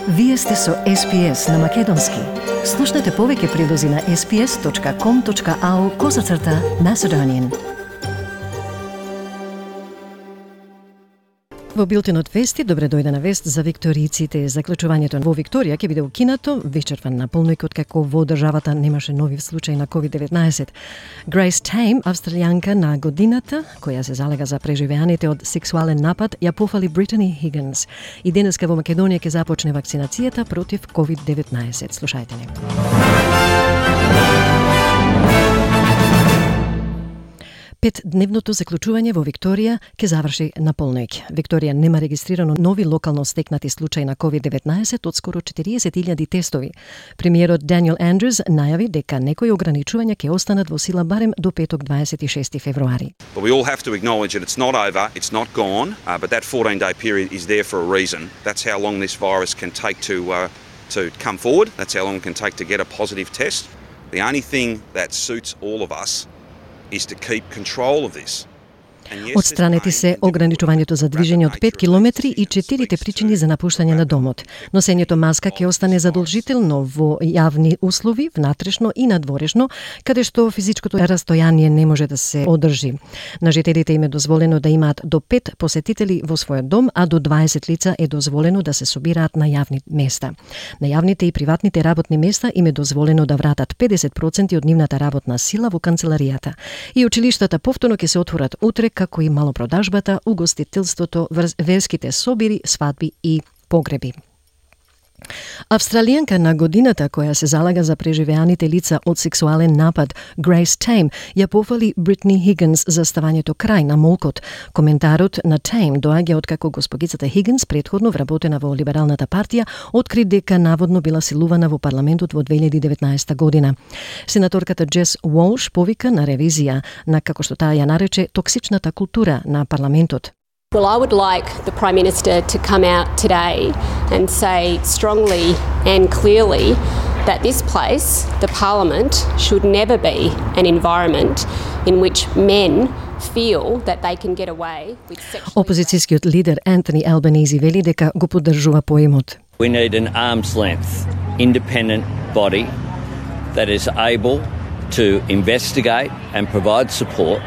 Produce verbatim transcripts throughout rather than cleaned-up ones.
Вие сте со Ес Би Ес на Македонски. Слушнете повеќе прилози на ес би ес точка ком точка ау козацрта Macedonian. Во билтенот вести, добре дојде на вест за викторијците. Заклучувањето во Викторија ќе биде укинато, вичерпан наполник откако во државата немаше нови случаи на ковид деветнаесет. Грейс Тейм, австралијанка на годината, која се залега за преживеаните од сексуален напад, ја пофали Британи Хигинс. И денеска во Македонија ќе започне вакцинацијата против ковид деветнаесет. Слушајте ни. Петдневното заклучување во Викторија ќе заврши на полноќ. Викторија нема регистрирано нови локално стекнати случаи на ковид деветнаесет од скоро четириесет илјади тестови. Премиерот Даниел Андрюс најави дека некои ограничувања ќе останат во сила барем до петок дваесет и шести февруари. But we all have to acknowledge that it's not over, it's not gone, uh, but that fourteen day period is there for a reason. That's how long this virus can take to uh, to come forward. That's how long it can take to get a positive test. The only thing that suits all of us is to keep control of this. Отстранети се ограничувањето за движење од пет километри и четирите причини за напуштање на домот. Носењето маска ќе остане задолжително во јавни услови, внатрешно и надворешно, каде што физичкото растојание не може да се одржи. На жителите им е дозволено да имаат до пет посетители во својот дом, а до дваесет лица е дозволено да се собираат на јавни места. На јавните и приватните работни места им е дозволено да вратат педесет проценти од нивната работна сила во канцеларијата. И училиштата повторно ќе се отворат утре, како и малопродажбата, угостителството, верските собири, свадби и погреби. Австралијанка на годината која се залага за преживеаните лица од сексуален напад, Грейс Тейм, ја пофали Британи Хигинс за ставањето крај на молкот. Коментарот на Тейм доаѓа откако госпогицата Хигинс, претходно вработена во Либералната партија, откри дека наводно била силувана во парламентот во две илјади и деветнаесета година. Сенаторката Джес Уолш повика на ревизија на, како што таа ја нарече, токсичната култура на парламентот. Well, I would like the Prime Minister to come out today and say strongly and clearly that this place, the Parliament, should never be an environment in which men feel that they can get away with sexually... Опозицијскиот лидер Антони Албанези вели дека го поддржува поемот. We need an arm's length, independent body that is able to investigate and provide support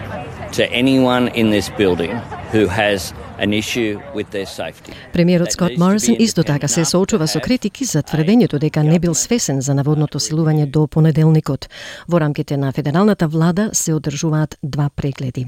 to anyone in this building who has an issue with their safety. Премиерот Скот Морисон исто така се соочува со критики за тврдењето дека не бил свесен за наводното силување до понеделникот. Во рамките на федералната влада се одржуваат два прегледи.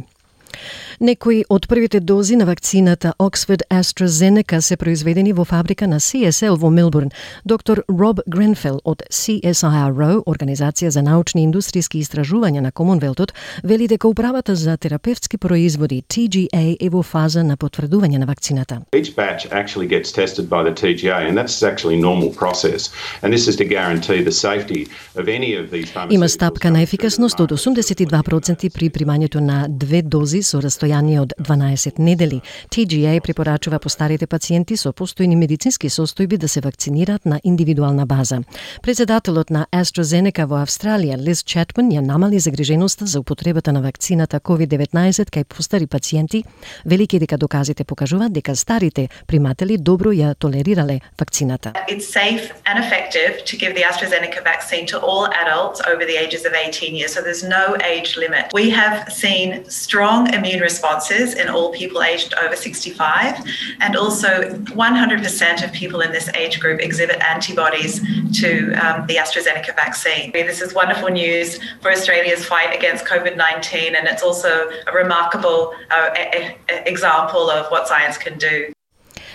Некои од првите дози на вакцината Oxford AstraZeneca се произведени во фабрика на Си Ес Ел во Мелбурн. Доктор Роб Гренфел од Си Ес Ай Ар О, Организација за научни и индустријски истражувања на Комонвелтот, вели дека управата за терапевтски производи Т Г А е во фаза на потврдување на вакцината. Each batch actually gets tested by the T G A and that's actually normal process. And this is to guarantee the safety of any of these pharmaceuticals. Има стапка на ефикасност од осумдесет и два проценти при примањето на две дози со растојание од дванаесет недели. Т Г А препорачува постарите пациенти со постојни медицински состојби да се вакцинираат на индивидуална база. Председателот на AstraZeneca во Австралија, Лиз Чатман, ја намали загриженоста за употребата на вакцината ковид деветнаесет кај постари пациенти, велики дека доказите покажуваат дека старите приматели добро ја толерирале вакцината. It's safe and effective to give the AstraZeneca vaccine to all adults over the ages of eighteen years, so there's no age limit. We have seen strong immune responses in all people aged over sixty-five, and also one hundred percent of people in this age group exhibit antibodies to um, the AstraZeneca vaccine. This is wonderful news for Australia's fight against COVID nineteen, and it's also a remarkable uh, a- a- example of what science can do.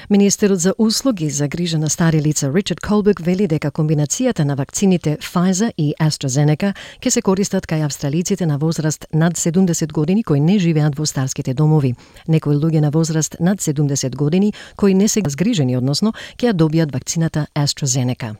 Министерот за услуги за грижа на стари лица Ричард Колбек вели дека комбинацијата на вакцините Pfizer и AstraZeneca ќе се користат кај австралиците на возраст над седумдесет години кои не живеат во старските домови. Некои луѓе на возраст над седумдесет години кои не се згрижени, односно ќе ја добијат вакцината AstraZeneca.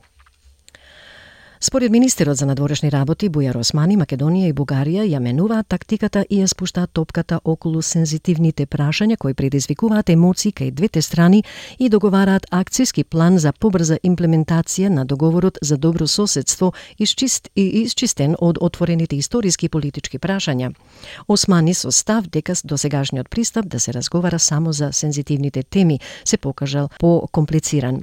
Според министерот за надворешни работи Бујар Османи, Македонија и Бугарија ја менуваат тактиката и ја спуштаат топката околу сензитивните прашања кои предизвикуваат емоции кај двете страни и договараат акцијски план за побрза имплементација на договорот за добро соседство исчист и исчистен од отворените историски и политички прашања. Османи со став дека досегашниот пристап да се разговара само за сензитивните теми се покажал по-комплициран.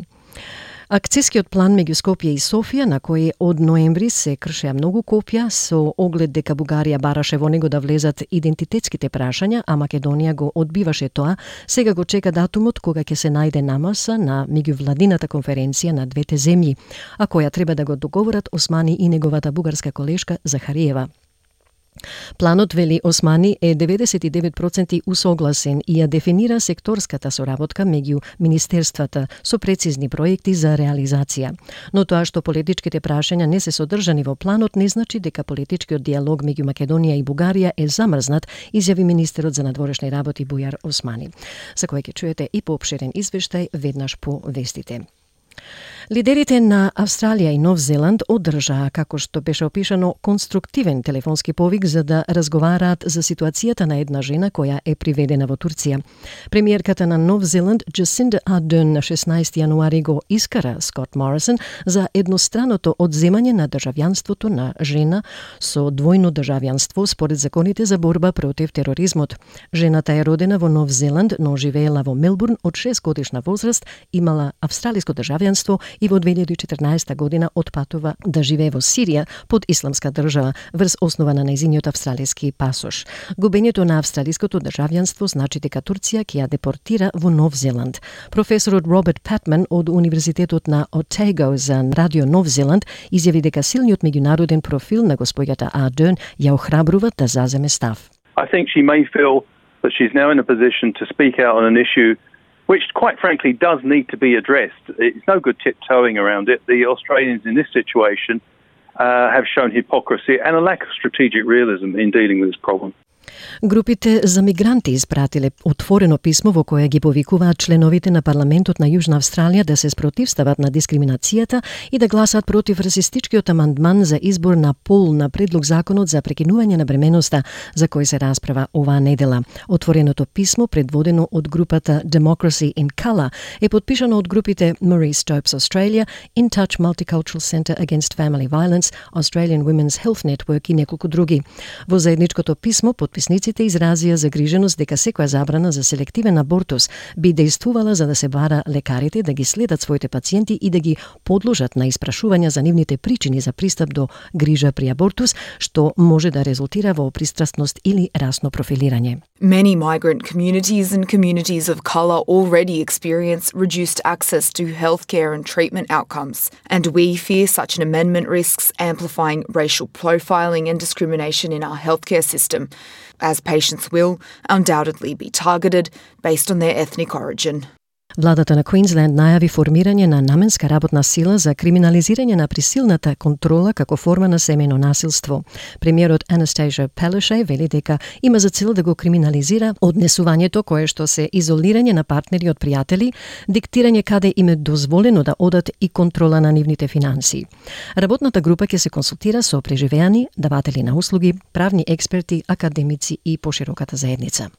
Акцискиот план меѓу Скопје и Софија, на кој од ноември се кршеа многу копија, со оглед дека Бугарија бараше во него да влезат идентитетските прашања, а Македонија го одбиваше тоа, сега го чека датумот кога ќе се најде намеса на меѓувладината конференција на двете земји, а која треба да го договорат Османи и неговата бугарска колешка Захариева. Планот, вели Османи, е деветдесет и девет проценти усогласен и ја дефинира секторската соработка меѓу министерствата со прецизни проекти за реализација. Но тоа што политичките прашања не се содржани во планот не значи дека политичкиот диалог меѓу Македонија и Бугарија е замрзнат, изјави министерот за надворешни работи Бујар Османи. За кој ќе чуете и поопширен извештај веднаш по вестите. Лидерите на Австралија и Нов Зеланд одржаа, како што беше опишано, конструктивен телефонски повик за да разговараат за ситуацијата на една жена која е приведена во Турција. Премиерката на Нов Зеланд, Джасинда Ардерн, на шеснаесети јануари го искара Скот Морисон за едностраното одземање на државјанството на жена со двојно државјанство според законите за борба против тероризмот. Жената е родена во Нов Зеланд, но живеела во Мелбурн од шест годишна возраст, имала австралиско државјанство и во две илјади и четрнаесета година отпатува да живее во Сирија под исламска држава врз основа на нејзиниот австралиски пасош. Губењето на австралиското државјанство значи дека Турција ќе ја депортира во Нов Зеланд. Професорот Роберт Патман од Универзитетот на Otago за Радио Нов Зеланд изјави дека силниот меѓународен профил на госпоѓата Ардерн ја охрабрува да заземе став. I think she may feel that she's now in a position to speak out on an issue which, quite frankly, does need to be addressed. It's no good tiptoeing around it. The Australians in this situation uh, have shown hypocrisy and a lack of strategic realism in dealing with this problem. Групите за мигранти испратиле отворено писмо во кое ги повикуваат членовите на парламентот на Јужна Австралија да се спротивстават на дискриминацијата и да гласат против расистичкиот амандман за избор на пол на предлог законот за прекинување на бременоста, за кој се расправа оваа недела. Отвореното писмо, предводено од групата Democracy in Colour, е подпишано од групите Marie Stopes Australia, In Touch Multicultural Centre Against Family Violence, Australian Women's Health Network и неколку други. Во заедничкото писмо подписниците изразија загриженост дека секоја забрана за селективен абортус би дејствувала за да се бара лекарите да ги следат своите пациенти и да ги подложат на испрашувања за нивните причини за пристап до грижа при абортус, што може да резултира во пристрасност или расно профилирање. Many migrant communities and communities of colour already experience reduced access to healthcare and treatment outcomes, and we fear such an amendment risks amplifying racial profiling and discrimination in our healthcare system, as patients will undoubtedly be targeted based on their ethnic origin. Владата на Квинсленд најави формирање на наменска работна сила за криминализирање на присилната контрола како форма на семејно насилство. Премиерот Анастасија Пелешај вели дека има за цел да го криминализира однесувањето кое што се изолирање на партнери од пријатели, диктирање каде им е дозволено да одат и контрола на нивните финанси. Работната група ќе се консултира со преживеани, даватели на услуги, правни експерти, академици и пошироката заедница.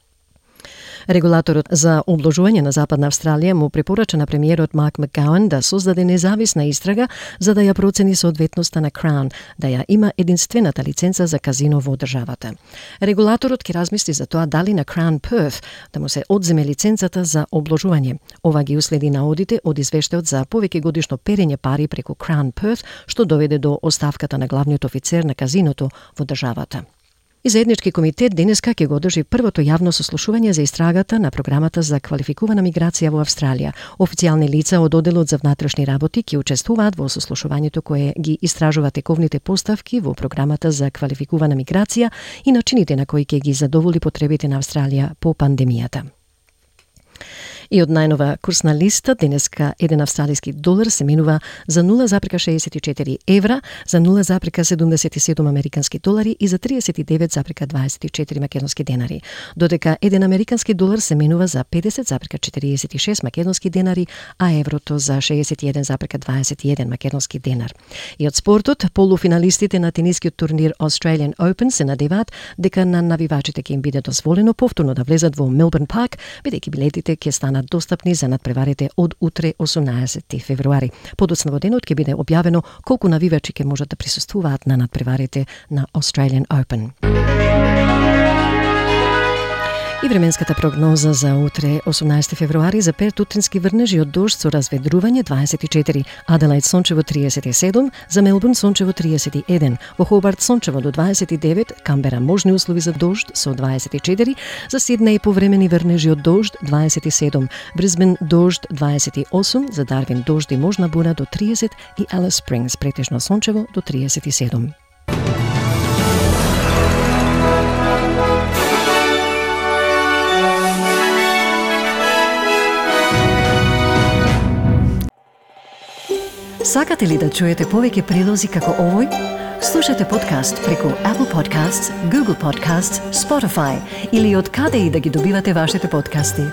Регулаторот за обложување на Западна Австралија му препорача на премиерот Марк Макгауан да создаде независна истрага за да ја процени соодветноста на Crown, да ја има единствената лиценца за казино во државата. Регулаторот ќе размисли за тоа дали на Crown Perth да му се одземе лиценцата за обложување. Ова ги уследи наодите од извештајот за повеќе годишно перење пари преку Crown Perth, што доведе до оставката на главниот офицер на казиното во државата. И заеднички комитет денеска ќе го одржи првото јавно сослушување за истрагата на програмата за квалификувана миграција во Австралија. Официјални лица од одделот за внатрешни работи ќе учествуваат во сослушувањето кое ги истражува тековните поставки во програмата за квалификувана миграција и начините на кои ќе ги задоволи потребите на Австралија по пандемијата. И од најнова курсна листа, денеска еден австралиски долар се менува за нула запирка шеесет и четири евра, за нула запирка седумдесет и седум американски долари и за триесет и девет запирка дваесет и четири македонски денари. Додека еден американски долар се менува за педесет запирка четириесет и шест македонски денари, а еврото за шеесет и еден запирка дваесет и еден македонски денар. И од спортот, полуфиналистите на тенискиот турнир Australian Open се надеваат дека на навивачите ќе им биде дозволено повторно да влезат во Мелбурн парк, бидејќи билетите ќе станат достапни за надпреварите од утре осумнаесети февруари. Подоцна во денот ќе биде објавено колку навивачи ќе можат да присуствуваат на надпреварите на Australian Open. И временската прогноза за утре, осумнаесети февруари, за Перт утрински врнежи од дожд со разведрување дваесет и четири, Аделаид сончево триесет и седум, за Мелбурн сончево триесет и еден, во Хобарт сончево до дваесет и девет, Камбера можни услови за дожд со дваесет и четири, за Сиднеј повремени врнежи од дожд дваесет и седум, Брисбен дожд дваесет и осум, за Дарвин дожд и можна бура до триесет и Алис Спрингс претежно сончево до триесет и седум. Сакате ли да чуете повеќе прилози како овој? Слушате подкаст преку Apple Podcasts, Google Podcasts, Spotify или од каде и да ги добивате вашите подкасти.